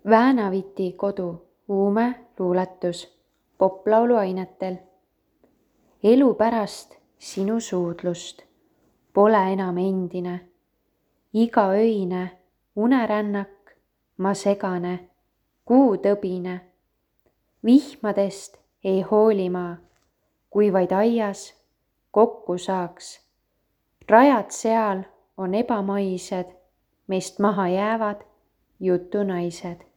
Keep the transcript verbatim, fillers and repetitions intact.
Väänaviti kodu uume luuletus poplaulu ainetel. Elu pärast sinu suudlust pole enam endine. Iga öine unerännak ma segane, kuutõbine. Vihmadest ei hooli ma, kui vaid aias kokku saaks. Rajad seal on ebamaised, meist maha jäävad jutunaised.